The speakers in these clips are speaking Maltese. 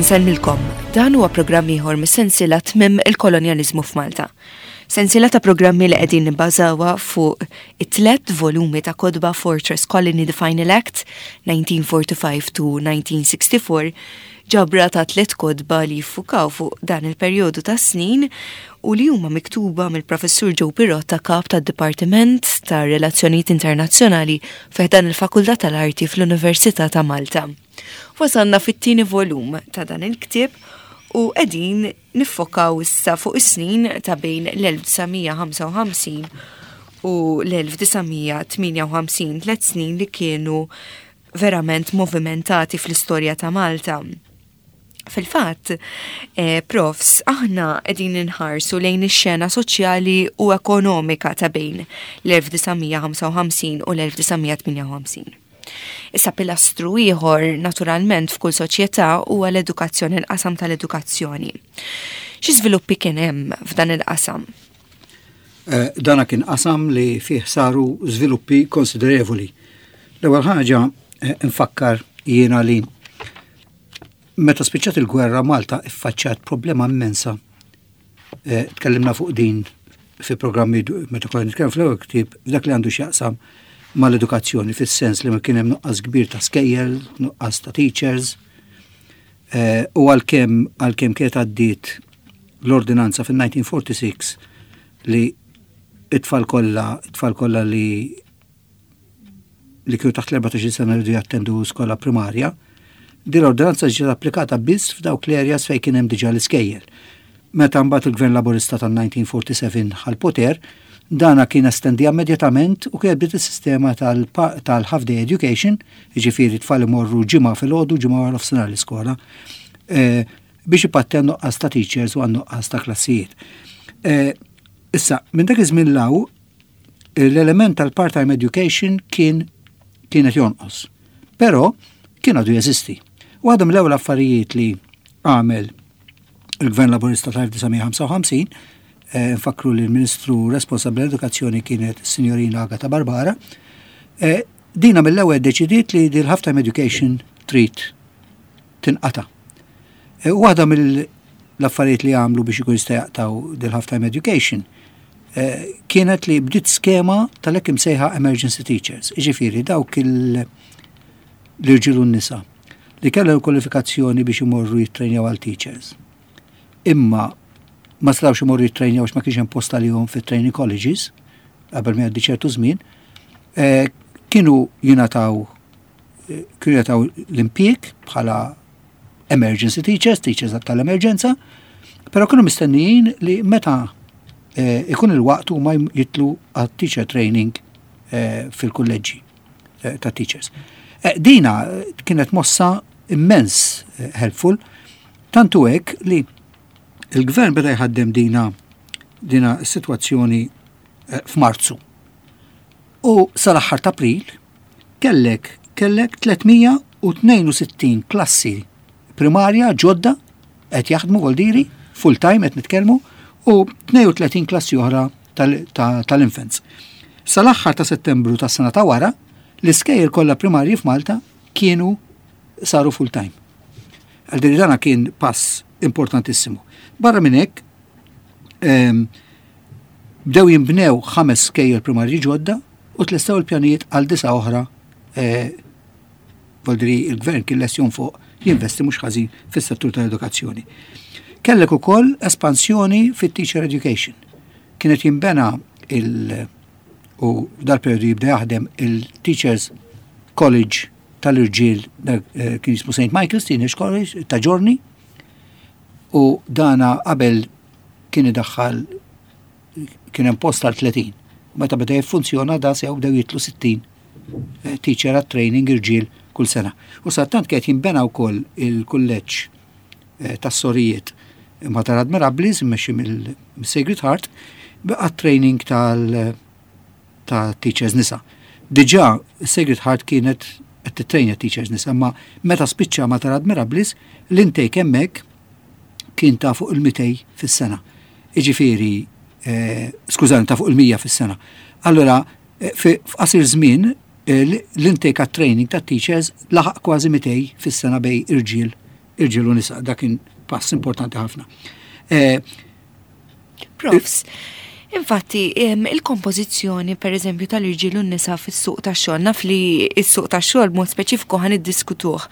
Insellmilkom, dan huwa programm ieħor mis-sensiela Tmiem il-Kolonjaliżmu f'Malta. Sensiela ta' programmi li qegħdin nibbażawha fuq it-tlet volumi ta' kotba Fortress Colony The Final Act 1945 to 1964 ġabra ta' tlet kotba li jiffukaw fuq dan il-perjodu ta' snin u li huma miktuba mill-Professur Joe Pirotta kap tad-Dipartiment ta' Relazzjonijiet Internazzjonali fi ħdan il-Fakultà tal-Arti fl-Università ta' Malta. Wasalna fit-tieni volum ta' dan il-ktieb u qegħdin niffokaw issa fuq is-snin ta' bejn l-1955 u l-1958, tlet snin li kienu verament movimentati fl-istorja ta' Malta. Fil-fatt, eh, profs, aħna qegħdin inħarsu lejn ix-xena soċjali u ekonomika ta' bejn l-1955 u l-1958. Issa pilastru ieħor naturalment f'kull soċjetà huwa l-edukazzjoni, l-qasam tal-edukazzjoni. Xi żviluppi kien hemm f'dan il-qasam? Eh, dana kien qasam li fih saru żviluppi konsiderevoli. L-ewwel ħaġa eh, nfakkar jiena li meta spiċċat il-gwerra Malta iffaċċat problema immensa. Eh, tkellimna fuq din fi programmi meta konna nitkellem fl-ewwel ktieb f'dak li għandu x'jaqsam mal-edukazzjoni fis-sens li ma kien hemm nuqqas kbir ta' skejjel, nuqqas ta' teachers, u għalkemm għalkemm kienet għaddiet l-ordinanza fil-1946 li it-tfal kollha it-tfal kollha li li kienu taħt l-14 sena rridu jattendu skola primarja, din l-ordinanza ġiet applikata biss f'dawk l-areas fejn kien hemm diġà l-iskejjel. Meta mbagħad il-Gvern Laburista tal-1947 ħa l-poter, dana kien estendiha immedjatament u kienet bdiet is-sistema tal-half day education, jiġifieri tfal imorru ġimgħa filgħodu, ġimgħa wara nofsinhar l-iskola, eh, biex ipatti għan-nuqqas ta' teachers u għan-nuqqas ta' klassijiet. Eh, issa, minn dak iż-żmien law, l-element tal-part-time education kien kienet jonqos. Però kien għadu jeżisti. Waħda mill-ewwel affarijiet li għamel il-Gvern Laburista tal-1955, eh, nfakru li l-Ministru responsabbli l-edukazzjoni kienet Signorina Agata Barbara, eh, dina mill-ewwel deċidiet li dil half-time education trid tinqata. Eh, waħda mill-affarijiet li għamlu biex ikun jista' jaqtaw dil half-time education kienet li bdiet skema tal-hekk imsejħa emergency teachers, jiġifieri dawk l-irġiel u n-nisa li kellhom il-kwalifikazzjoni biex imorru jittrejnjaw għal teachers. Imma ma setgħux imorru jittrejnjaw għax ma kienx hemm post għalihom fit-training colleges qabel ma jgħaddi ċertu żmien, eh, kienu jingħataw eh, kienu jingħataw l-impjieg bħala emergency teachers, teachers tal-emerġenza, però kienu mistennijin li meta eh, ikun il-waqt huma jitlu għat teacher training fil-kulleġġi. Eh, ta' teachers. Eh, dina eh, kienet mossa immens helpful, tantu hekk li il-gvern beda jħaddem dina dina situazzjoni f'Marzu. U sal-aħħar ta' April kellek kellek 362 klassi primarja ġodda qed jaħdmu voldiri full time qed nitkellmu u 32 klassi oħra tal-infants. Sal-aħħar ta' Settembru tas-sena ta' wara, l-iskejjel kollha primarji f'Malta kienu saru full time. Għal dana kien pass importantissimu. Barra minn hekk, ehm, bdew jinbnew ħames skejjel primarji ġodda u tlestew il-pjanijiet għal disa oħra eh, Voldri il-gvern kien lest jonfoq jinvesti mhux ħażin fis-settur tal-edukazzjoni. Kellek ukoll espansjoni fit-teacher education. Kienet jinbena il- u dal-periodu jibda jaħdem il-Teachers College tal-irġiel eh, kien jismu St. Michael's Teenage College ta' Ġorni u dana qabel kien idaħħal kien hemm post għal 30. Meta beda jiffunzjona da sew bdew jitlu 60 eh, teacher għat training irġiel kull sena. U sattant kienet jinbena wkoll il-kulleġġ eh, tas-sorijiet Mater Admirablis immexxi mill-Sacred Heart għat training tal ta' teachers nisa. Diġà Sacred Heart kienet qed titrejna teachers nisa, ma meta spiċċa Mater Admirablis l-intake hemmhekk kien ta' fuq il-200 fis-sena. Iġifieri, eh, skużani, ta' fuq il-100 fis-sena. Allora, eh, f'qasir żmien eh, l-intake għat-training ta' teachers laħaq kważi 200 fis-sena bej irġiel irġiel u nisa, dak kien pass importanti ħafna. Eh, Profs, infatti il-kompożizzjoni per eżempju tal-irġiel u n-nisa fis-suq tax-xogħol, naf li s-suq tax-xogħol b'mod speċifiku ħan iddiskutuh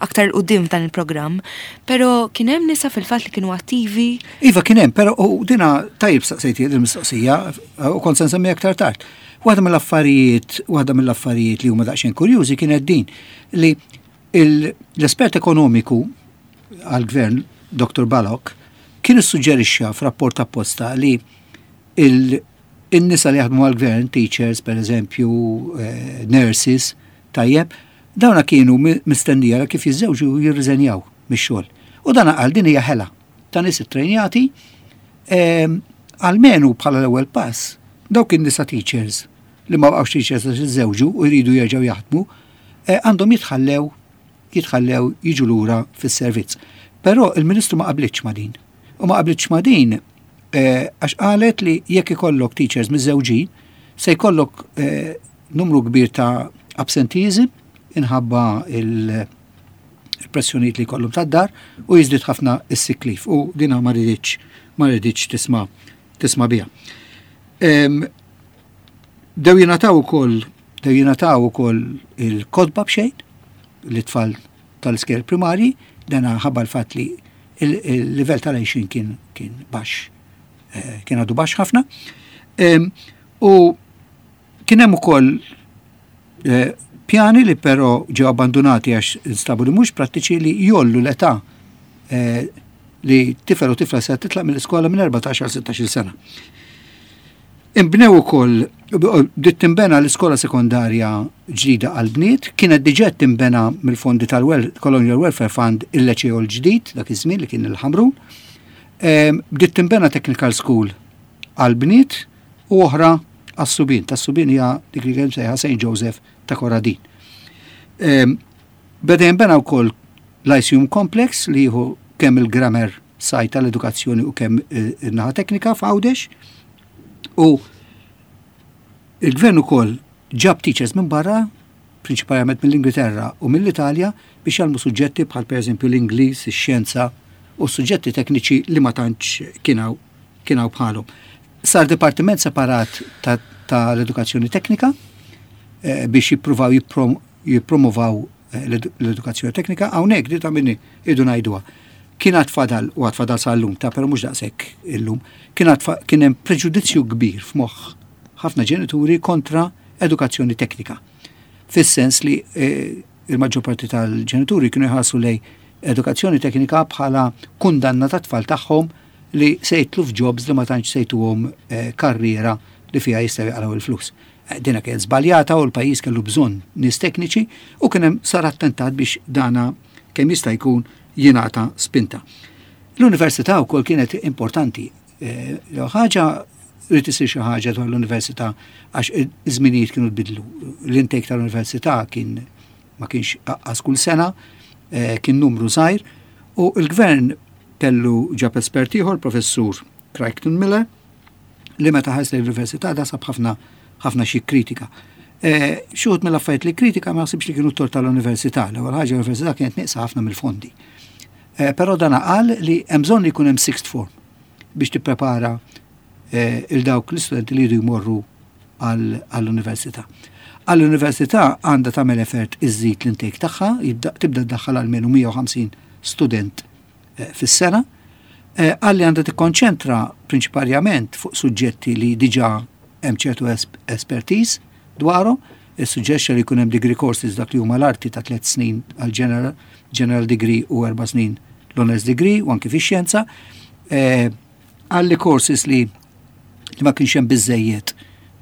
aktar 'il quddiem f'dan il-programm, però kien hemm nisa fil-fatt li kienu attivi? Iva kien hemm, però u dina tajjeb staqsejti din il-mistoqsija u kont se nsemmi aktar tard. Waħda mill-affarijiet, waħda mill-affarijiet li huma daqsxejn kurjużi kienet din li l-espert ekonomiku għall-gvern, Dr. Balok, kien issuġġerixxa f'rapport apposta li in-nisa li jaħdmu għall-gvern, teachers per eżempju, eh, nurses, tajjeb, dawna kienu mistennija li kif jiżżewġu jirriżenjaw mix-xogħol. U dan qal din hija ħela ta' nies ittrejnjati ehm, almenu bħala l-ewwel pass dawk in-nisa teachers li ma baqgħux teachers għax iżżewġu u jridu jerġgħu jaħdmu, eh, għandhom jitħallew jitħallew jiġu lura fis-servizz. Però il-Ministru ma qablitx ma' din. U ma qablitx ma' din eh, għax qalet li jekk ikollok teachers miżżewġin se jkollok eh, numru kbir ta' absenteeism inħabba il-pressjonijiet li jkollhom tad-dar u jiżdied ħafna is-sick leave u dina ma riditx ma riditx tisma' tisma' biha. Dew jingħataw ukoll dew jingħataw ukoll il-kotba b'xejn lit-tfal tal-iskejjel primarji, dan ħabba l-fatt li il-livell tal-għixin kien kien baxx, eh, kien għadu baxx ħafna. U kien hemm ukoll eh, pjani li però ġew abbandunati għax instabu li mhux prattiċi li jollu l-età eh, li tifel u tifla se titlaq mill-iskola minn 14 għal 16 sena. Inbnew ukoll, bdiet tinbena l-iskola sekondarja ġdida għall-bniet, kienet diġà qed tinbena mill-fondi tal-Colonial Welfare Fund il-Leċeo l-ġdid dak iż-żmien li kien il-Ħamrun. Ehm, bdiet tinbena Technical School għall-bniet u oħra għas-subien. Tas-subien hija dik li kien sejħa St. Joseph ta' Koradin. Ehm, beda jinbena wkoll Lyceum Complex li jieħu kemm il-grammar site tal-edukazzjoni u kemm eh, in-naħa teknika f'Għawdex. U il-gvern ukoll ġab teachers minn barra, prinċipalment mill-Ingilterra u mill-Italja biex jgħallmu suġġetti bħal pereżempju l-Ingliż, ix-xjenza u suġġetti tekniċi li ma tantx kien hawn bħalhom. Sar dipartiment separat tal-edukazzjoni teknika eh, biex jippruvaw jippromovaw eh, l-edukazzjoni teknika, hawnhekk di ta' minni idu ngħiduha. Kien għad fadal u għad fadal sal-lum ta' però mhux daqshekk illum, kien għad kien hemm preġudizzju kbir f'moħħ ħafna ġenituri kontra edukazzjoni teknika. Fis-sens li eh, il-maġġor parti tal-ġenituri kienu jħarsu lej edukazzjoni teknika bħala kundanna ta' tfal tagħhom li se jitlu f'jobs li ma tantx se jtuhom eh, karriera li fiha jistgħu jaqraw il-flus. Dina kienet żbaljata u l-pajjiż kellu bżonn nies tekniċi u kien hemm sar attentat biex dana kemm jista' jkun jingħata spinta. L-università wkoll kienet importanti. Eh, ħaġa rrid isir xi ħaġa dwar l-università għax iż-żminijiet kienu tbidlu. L-intake tal-università kien ma kienx aqqas kull sena, eh, kien numru żgħir u l-gvern kellu ġab espert ieħor, professur Crichton Miller, li meta ħares l-università da sab ħafna ħafna xi kritika. E, Xuħut mill-affarijiet li kritika ma naħsibx li kienu t-tort tal-università. L-ewwel ħaġa l-università kienet nieqsa ħafna mill-fondi. E, però dan qal li hemm bżonn li jkun hemm sixth form biex tipprepara e, il dawk l-istudenti li jridu jmorru għall-università. Għall-università għandha tagħmel effort iżżid l-intake tagħha, tibda ddaħħal almenu 150 student eh, fis-sena, eh, qal li għandha tikkonċentra prinċiparjament fuq suġġetti li diġà hemm ċertu expertise dwarhom, issuġġerixxa li jkun hemm degree courses dak li huma l-arti ta' tliet snin għal general, general degree u erba' snin l-honors degree u anki fix-xjenza. Eh, qal li courses li li ma kienx hemm biżejjed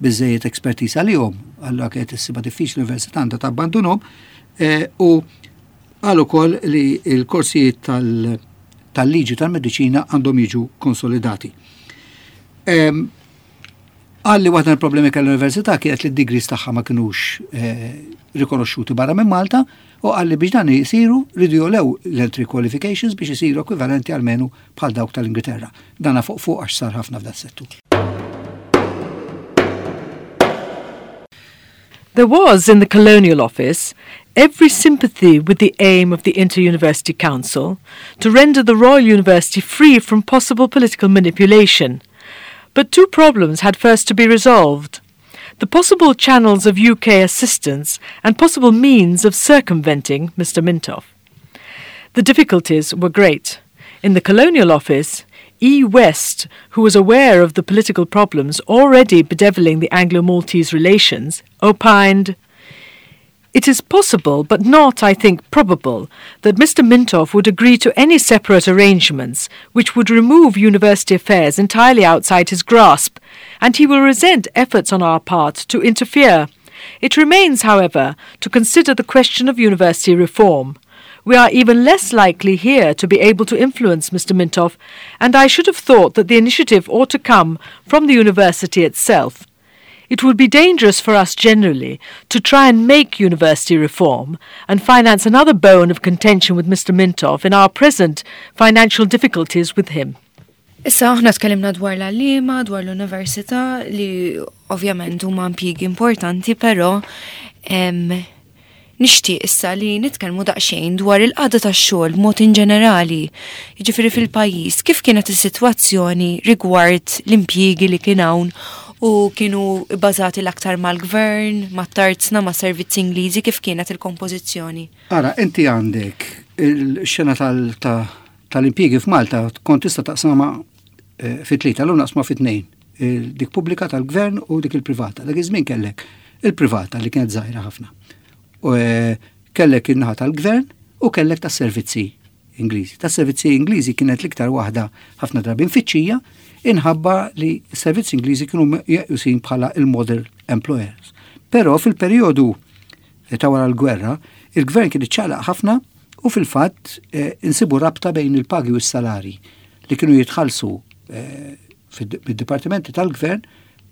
biżejjed expertise għalihom, allura kienet issibha diffiċli l-università għandha tabbandunhom u Qal ukoll li l-korsijiet tal-liġi tal-mediċina għandhom jiġu konsolidati. Qal li waħda mill-problemi kell l-università kienet li d-degrees tagħha ma kinux eh, rikonoxxuti barra minn Malta u qal li biex dan jisiru ridu jolew l-entry qualifications biex isiru ekwivalenti għalmenu bħal dawk tal-Ingilterra. Dana fuq fuq għax sar ħafna f'dat settur. There was in the Colonial Office every sympathy with the aim of the Inter-University Council to render the Royal University free from possible political manipulation. But two problems had first to be resolved. The possible channels of UK assistance and possible means of circumventing Mr. Mintoff. The difficulties were great. In the Colonial Office, E. West, who was aware of the political problems already bedeviling the Anglo-Maltese relations, opined, It is possible, but not, I think, probable, that Mr. Mintoff would agree to any separate arrangements which would remove university affairs entirely outside his grasp, and he will resent efforts on our part to interfere. It remains, however, to consider the question of university reform. We are even less likely here to be able to influence Mr. Mintoff, and I should have thought that the initiative ought to come from the university itself. It would be dangerous for us generally to try and make university reform and finance another bone of contention with Mr. Mintoff in our present financial difficulties with him. Issa aħna tkellimna dwar l-għalliema, dwar l-università li ovvjament huma impjiegi importanti, però nixtieq issa li nitkellmu daqsxejn dwar il-qagħda tax-xogħol b'mod in ġenerali, jiġifieri fil-pajjiż, kif kienet is-sitwazzjoni rigward l-impjiegi li kien hawn u kienu bbażati l-aktar mal-gvern, mat-tarzna, ma' servizzi Ingliżi, kif kienet il-kompożizzjoni? Ara, inti għandek il-xena tal-impjiegi f'Malta kont tista' taqsamha eh, fi tlieta, l naqsma fi tnejn, dik pubblika tal-gvern u dik il-privata. Dak iż-żmien kellek il-privata li kienet żgħira ħafna. U eh, kellek in-naħa tal-gvern u kellek tas-servizzi Ingliżi. Tas-servizzi Ingliżi kienet l-iktar waħda ħafna drabi mfittxija inħabba li s-servizzi Ingliżi kienu meqjusin bħala il-model employers. Però fil-perjodu ta' wara l-gwerra, il-gvern kien iċċaqlaq ħafna u fil-fatt eh, insibu rabta bejn il-pagi u s-salari li kienu jitħallsu eh, mid-dipartimenti tal-gvern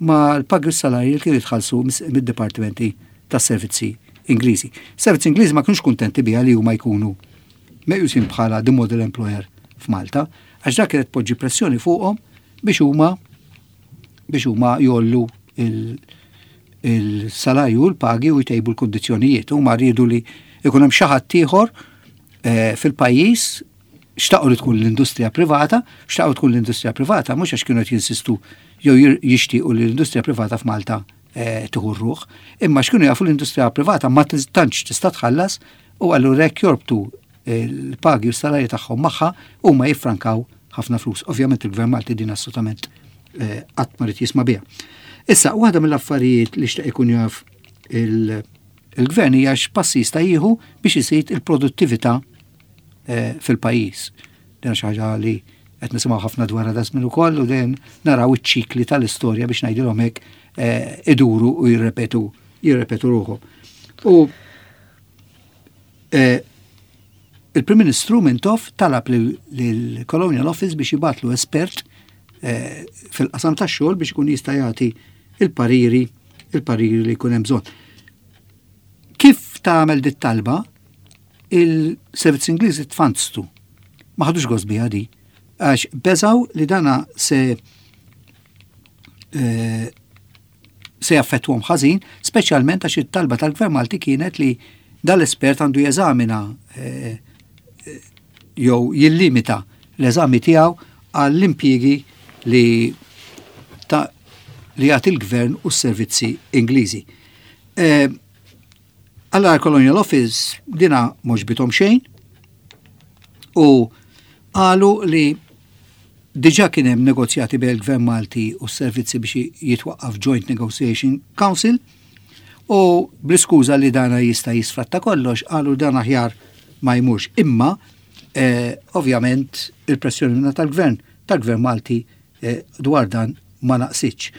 ma l-pagi u s-salari li kienu jitħallsu mid-dipartimenti tas-servizzi Ingliżi. Servizzi Ingliżi ma kienux kuntenti biha li huma jkunu meqjusin bħala the model employer f'Malta, għax dak kienet poġġi pressjoni fuqhom biex huma biex huma jollu il-salarju u l-pagi u jtejbu l-kundizzjonijiet. Huma rridu li ikun hemm xi ħadd ieħor eh, fil-pajjiż xtaqu li tkun l-industrija privata, xtaqu tkun l-industrija privata, mhux għax kienu qed jinsistu jew jixtiequ li l-industrija privata f'Malta eh, tieħu r-ruħ, imma x'kienu jafu l-industrija privata ma tantx tista' tħallas u allura jekk jorbtu l-pagi u s-salarji tagħhom magħha huma jiffrankaw ħafna flus. Ovvjament il-Gvern Malti din assolutament eh, qatt ma rid jisma' biha. Issa, waħda mill-affarijiet li xtaq ikun jaf il-gvern hija x'passi jista' jieħu biex iżid il-produttività eh, fil-pajjiż. Din xi ħaġa li qed nisimgħu ħafna dwar da żmien ukoll u dejjem naraw iċ-ċikli tal-istorja biex ngħidilhom hekk eh, iduru u jirrepetu jirrepetu ruħhom. U eh, il-Prim Ministru Mintoff talab lill-Colonial Office biex jibatlu espert eh, fil-qasam tax-xogħol biex ikun jista' jagħti il-pariri il-pariri li jkun hemm bżonn. Kif tagħmel dit talba il-servizz Ingliżi tfanztu. Ma ħadux gost biha di, għax beżaw li dana se eh, se jaffettwhom ħażin, speċjalment għax it-talba tal-Gvern Malti kienet li dal-espert għandu jeżamina eh, eh, jew jillimita l-eżami tiegħu għall-impjiegi li ta' li jagħti l-gvern u s-servizzi Ingliżi. Eh, Allora Colonial Office dina mhux bithom xejn u qalu li diġà kien hemm negozjati bejn il-Gvern Malti u s-servizzi biex jitwaqqaf Joint Negotiation Council u bl-iskuża li dana jista' jisfratta kollox qalu dan aħjar ma jmurx. Imma eh, ovvjament il-pressjoni minna tal-gvern tal-gvern Malti eh, dwar dan ma naqsitx.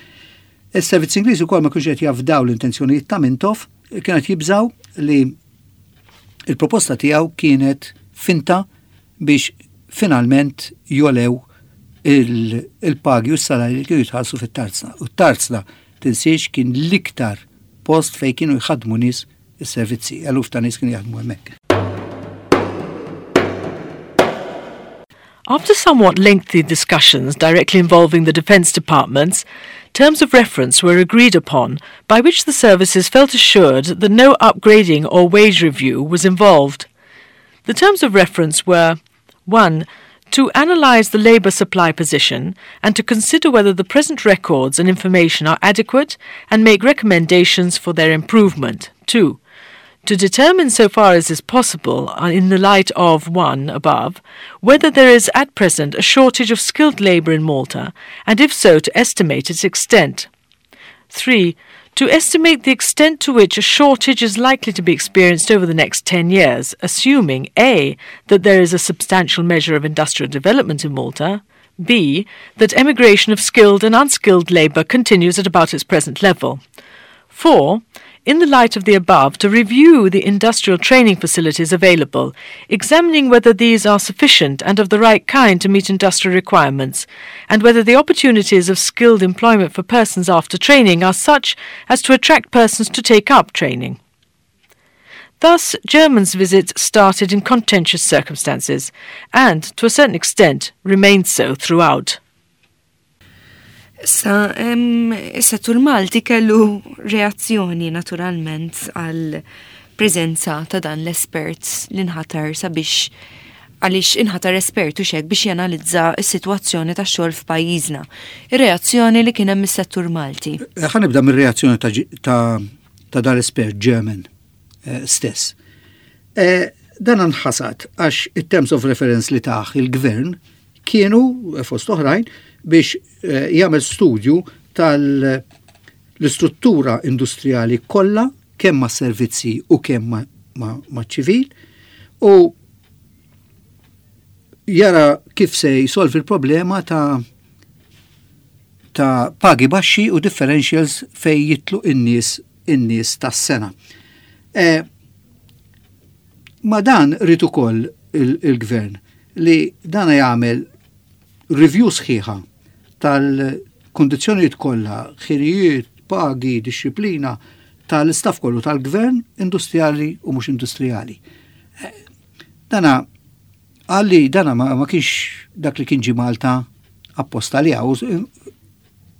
Is-servizzi Ingliżi wkoll ma kienx qed jafdaw l-intenzjonijiet ta' Mintoff, kien qed jibżaw li il-proposta tiegħu kienet finta biex finalment jolew il-pagi u s-salari li kienu jitħallsu fit-tarzna. U t-tarzna tinsiex kien l-iktar post fejn kienu jħadmu nies is-servizzi, eluf ta' nies kienu jaħdmu hemmhekk. After somewhat lengthy discussions directly involving the defence departments, terms of reference were agreed upon by which the services felt assured that no upgrading or wage review was involved. The terms of reference were 1. To analyse the labour supply position and to consider whether the present records and information are adequate and make recommendations for their improvement. 2. To determine so far as is possible, uh, in the light of 1 above, whether there is at present a shortage of skilled labour in Malta, and if so, to estimate its extent. 3. To estimate the extent to which a shortage is likely to be experienced over the next 10 years, assuming A. that there is a substantial measure of industrial development in Malta, B. that emigration of skilled and unskilled labour continues at about its present level. 4 in the light of the above, to review the industrial training facilities available, examining whether these are sufficient and of the right kind to meet industrial requirements, and whether the opportunities of skilled employment for persons after training are such as to attract persons to take up training. Thus, German's visit started in contentious circumstances, and, to a certain extent, remained so throughout. Issa, is-settur Malti kellu reazzjoni naturalment għal preżenza ta' dan l-espert li nħatar sabiex għaliex inħatar espert u xek biex janalizza s-sitwazzjoni tax xogħol f'pajjiżna. Ir-reazzjoni li kien hemm is-settur Malti. Eh, ħa nibda mir-reazzjoni ta', ta, dan l-espert German eh, stess. Eh, dan nħasad għax it-terms of reference li taħ il-gvern kienu, fost oħrajn, biex eh, jagħmel studju tal-istruttura industrijali kollha kemm ma' servizzi u kemm ma' ċivil u jara kif se jsolvi l-problema ta' ta' pagi baxxi u differentials fej jitlu in-nies in-nies tas-sena. E, ma dan rrid ukoll il-gvern li dan jagħmel review sħiħa tal-kundizzjonijiet kollha, ħirijiet, pagi, disċiplina tal-istaff kollu tal-gvern industrijali u mhux industrijali. Eh, dana għalli dana ma, ma kienx dak li kien ġi Malta apposta li għaw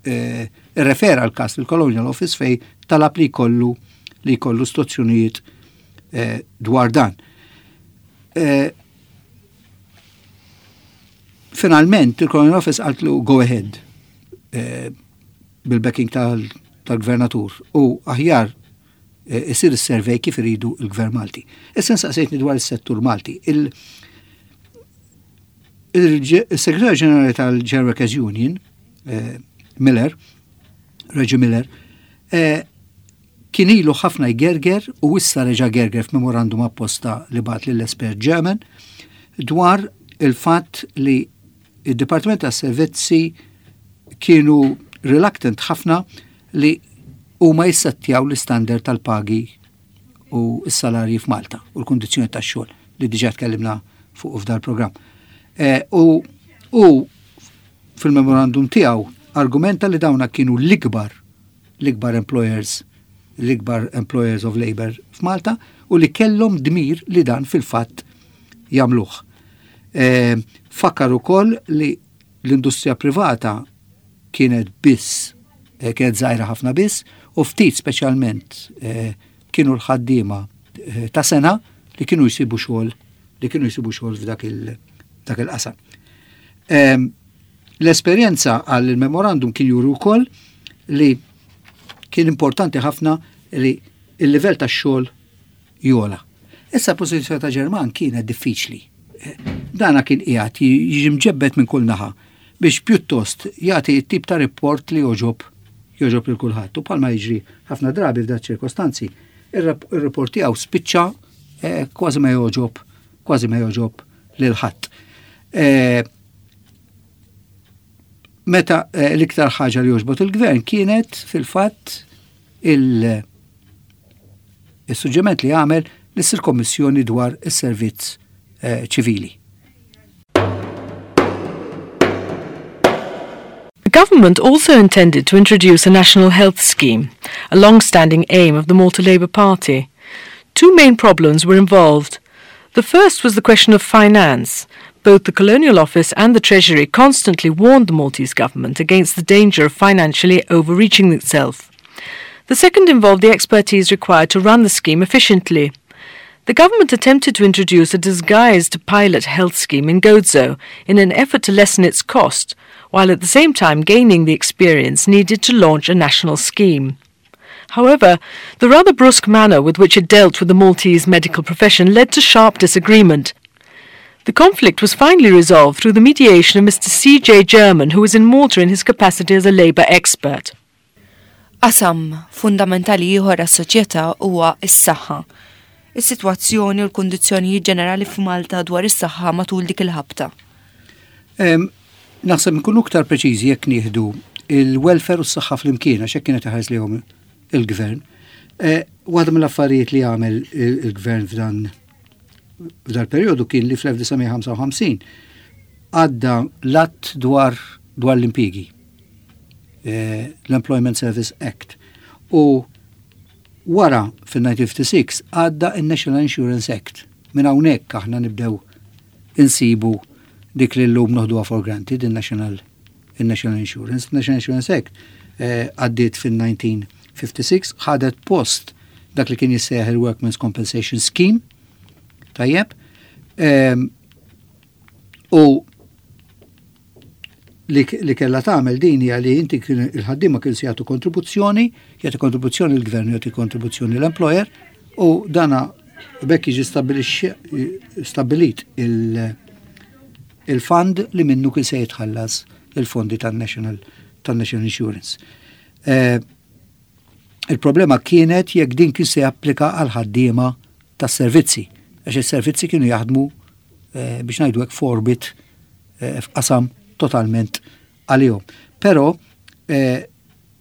eh, irrefera l-kas il-Colonial Office fej talab li jkollu li jkollu istruzzjonijiet eh, dwar dan. Eh, finalment il-Colonial Office qaltlu go ahead bil-backing tal-gvernatur u aħjar isir is-survey kif iridu il-Gvern Malti. Issa nsaqsejtni dwar is-settur Malti. Il-Segretarju Ġenerali tal-General Workers Union, eh, Miller, Reggie Miller, eh, kien ilu ħafna jgerger u issa reġa' gerger f'memorandum apposta li bat lill-espert German dwar il-fatt li id-Dipartiment tas Servizzi kienu reluctant ħafna li huma jissettjaw l-istandard tal-pagi u s-salarji f'Malta u l-kundizzjoni tax-xogħol li diġà tkellimna fuq f'dal programm. Eh, u u fil-memorandum tiegħu argumenta li dawna kienu l-ikbar l-ikbar employers l-ikbar employers of labor f'Malta u li kellhom dmir li dan fil-fatt jagħmluh. E, fakkar ukoll li l-industrija privata kienet biss, eh, kienet żgħira ħafna biss, u ftit speċjalment eh, kienu l-ħaddiema eh, ta' sena li kienu jsibu xogħol li kienu jsibu xogħol f'dak il-qasam. Ehm, l-esperjenza għal il-memorandum kien juru wkoll li kien importanti ħafna li il-livell tax-xogħol jogħla. Issa pożizzjoni ta' Ġerman kienet diffiċli. Dana kien qiegħed jiġi mġebbed minn kull naħa biex pjuttost jagħti t-tip ta' report li jogħġob jogħġob lil kulħadd. U bħalma jiġri ħafna drabi f'dak ċirkostanzi, ir-report tiegħu spiċċa eh, kważi ma jogħġob kważi ma jogħġob lil ħadd. Eh, meta eh, l-iktar ħaġa li jogħġbot il-gvern kienet fil-fatt il- is-suġġement li għamel li ssir kommissjoni dwar is-servizz eh, ċivili. The government also intended to introduce a national health scheme, a long-standing aim of the Malta Labour Party. Two main problems were involved. The first was the question of finance. Both the Colonial Office and the Treasury constantly warned the Maltese government against the danger of financially overreaching itself. The second involved the expertise required to run the scheme efficiently. The government attempted to introduce a disguised pilot health scheme in Gozo in an effort to lessen its cost, while at the same time gaining the experience needed to launch a national scheme. However, the rather brusque manner with which it dealt with the Maltese medical profession led to sharp disagreement. The conflict was finally resolved through the mediation of Mr. C.J. German, who was in Malta in his capacity as a labour expert. Qasam fundamentali ieħor għas-soċjetà huwa s-saħħa. Is-sitwazzjoni u l-kundizzjonijiet ġenerali f'Malta dwar is-saħħa matul dik il-ħabta. Naħseb nkunu iktar preċiżi jekk nieħdu il-welfare u s-saħħa flimkien għax hekk kienet iħares lejhom il-gvern. Eh, waħda mill-affarijiet li għamel il-gvern f'dan f'dal perjodu kien li fl-1955 għadda l-att dwar dwar l-impjiegi. Eh, l-Employment Service Act. U wara fil-1956 għadda il-National Insurance Act. Minn hawnhekk aħna nibdew insibu dik li llum noħduha for granted, il-National il-National Insurance. National Insurance Act eh, għaddiet fil-1956, ħadet post dak li kien jissejjaħ il-Workmen's Compensation Scheme, tajjeb, ehm, u li, li kellha tagħmel din hija li inti il-ħaddiema kienu se jagħtu kontribuzzjoni, jagħti kontribuzzjoni l-gvern, jagħti kontribuzzjoni l-employer u dana bekk jiġi stabbilit il-fund li minnu kien se jitħallas il-fondi tan-National tan-National Insurance. Eh, il-problema kienet jekk din kien se japplika għal ħaddiema tas-servizzi, għax is-servizzi kienu jaħdmu eh, biex ngħidu hekk forbit eh, f'qasam totalment għalihom. Però eh,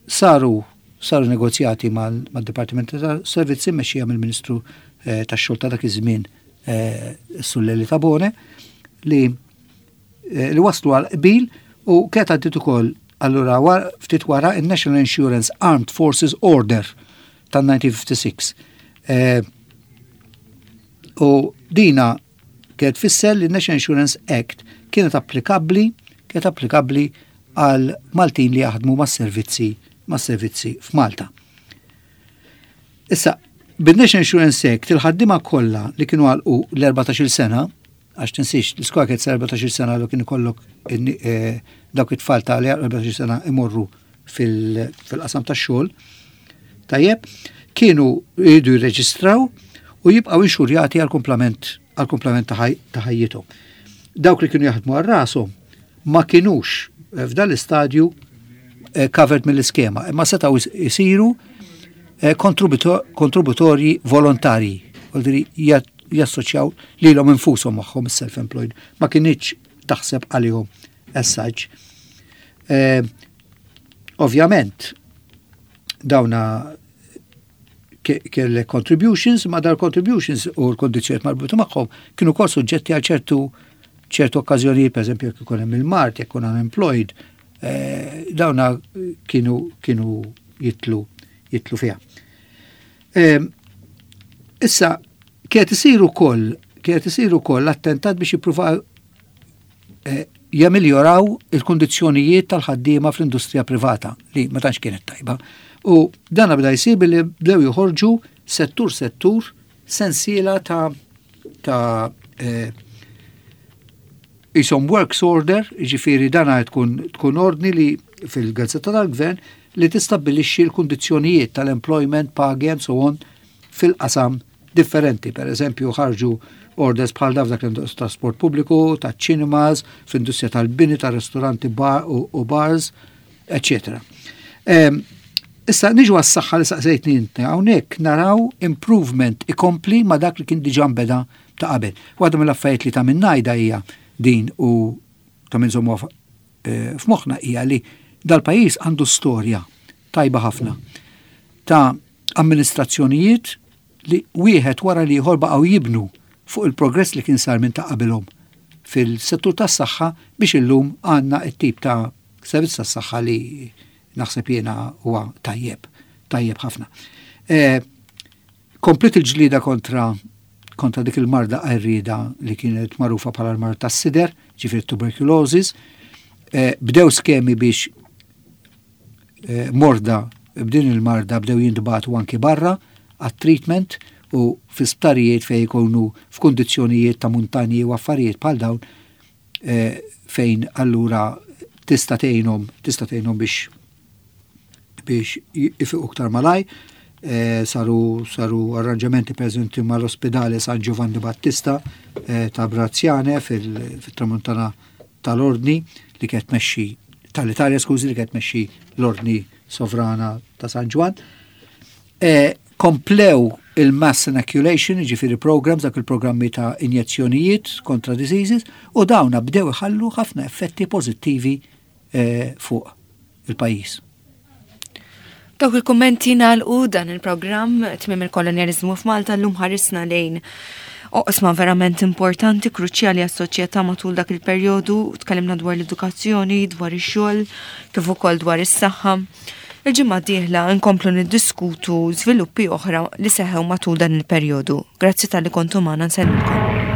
saru saru negozjati mal-Dipartiment ta' Servizzi mmexxija mill-Ministru eh, tax-xogħol ta' dak iż-żmien Sulleli Tabone li li waslu għal qbil u kienet għaddiet ukoll allura ftit wara il-National Insurance Armed Forces Order tan-1956. U dina Kienet tfisser li n-National Insurance Act kienet applikabbli kienet applikabbli għal Maltin li jaħdmu mas-servizzi mas-servizzi f'Malta. Issa, bin-National Insurance Act il-ħaddiema kollha li kienu għalqu l-14-il sena, għax tinsiex l-iskola kienet 14-il sena li kien ikollok eh, dawk it-tfal ta' li 14-il sena imorru fil-qasam tax-xogħol, tajjeb, kienu jridu jirreġistraw u jibqgħu inxurjati għal-kumplament għal-kumplament ta' ħajjithom. Dawk li kienu jaħdmu għal rashom ma kinux eh, f'dan l-istadju eh, covered mill-iskema, imma setgħu jsiru eh, kontributorji volontarji, jassoċjaw lilhom infushom magħhom is-self-employed, ma kinitx taħseb għalihom as such. Eh, ovvjament, dawna kelle contributions, ma dar contributions u l-kondizjoniet marbuta magħhom kienu kol suġġetti għal ċertu ċertu okkażjonijiet, per eżempju, jekk ikun hemm il-mart, jekk ikun unemployed, eh, dawna kienu kienu jitlu jitlu fiha. Eh, issa, kienet isir ukoll kienet isir ukoll attentat biex jippruvaw eh, jamiljoraw il-kundizzjonijiet tal-ħaddiema fl-industrija privata li ma tantx kienet tajba. U dan bda jsir billi bdew joħorġu settur settur sensiela ta' ta' eh, jisom works order, ġifiri dana tkun, tkun ordni li fil-gazzetta tal-gvern li tistabbilixxi l-kundizzjonijiet tal-employment, pagi and so on fil-qasam differenti. Per eżempju, ħarġu orders bħal daf dak trasport pubbliku, ta' cinemas, fl-industrija tal-bini, ta' ristoranti bar u bars, etc. Ehm, issa niġu għas-saħħa li saqsejtni inti, hawnhekk naraw improvement ikompli ma' dak li kien diġà nbeda ta' qabel. Waħda mill-affarijiet li ta' minn ngħidha hija din u ta' minn żommu eh, f'moħħna hija li dal-pajjiż għandu storja tajba ħafna ta' amministrazzjonijiet li wieħed wara l-ieħor baqgħu jibnu fuq il-progress li kien sar minn ta' qabilhom fil-settur tas-saħħa biex illum għandna t-tip ta' servizz tas-saħħa li naħseb jiena huwa tajjeb, tajjeb ħafna. E, komplit il-ġlida kontra kontra dik il-marda qerrieda li kienet magħrufa bħala l-marda tas-sider, ġifieri tuberculosis, eh, bdew skemi biex eh, morda b'din il-marda bdew jintbagħtu anki barra għat-treatment u fi sptarijiet fejn ikunu f'kundizzjonijiet ta' muntanji u affarijiet bħal dawn eh, fejn allura tista' tgħinhom tista' tgħinhom biex biex ifiqu iktar malaj. Eh, saru saru arranġamenti preżenti mal-ospedale San Giovanni Battista eh, ta' Brazzjane fil-tramuntana tal-Ordni li kienet tmexxi tal-Italja, skużi, li kienet tmexxi l-Ordni Sovrana ta' San Ġwann. E, komplew il-mass inoculation, ġifiri programs, dak il-programmi ta' injezzjonijiet kontra diseases, u dawna bdew iħallu ħafna effetti pozittivi e, fuq il-pajjiż. Dawk il-kummenti nagħlqu dan il-programm tmiem il-kolonjaliżmu f'Malta llum ħarisna lejn oqsma verament importanti, kruċjali għas-soċjetà matul dak il-perjodu, tkellimna dwar l-edukazzjoni, dwar ix-xogħol, kif ukoll dwar is-saħħa. Il-ġimgħa d-dieħla nkomplu niddiskutu żviluppi oħra li seħew matul dan il-perjodu. Grazzi talli kontu magħna nsellmilkom.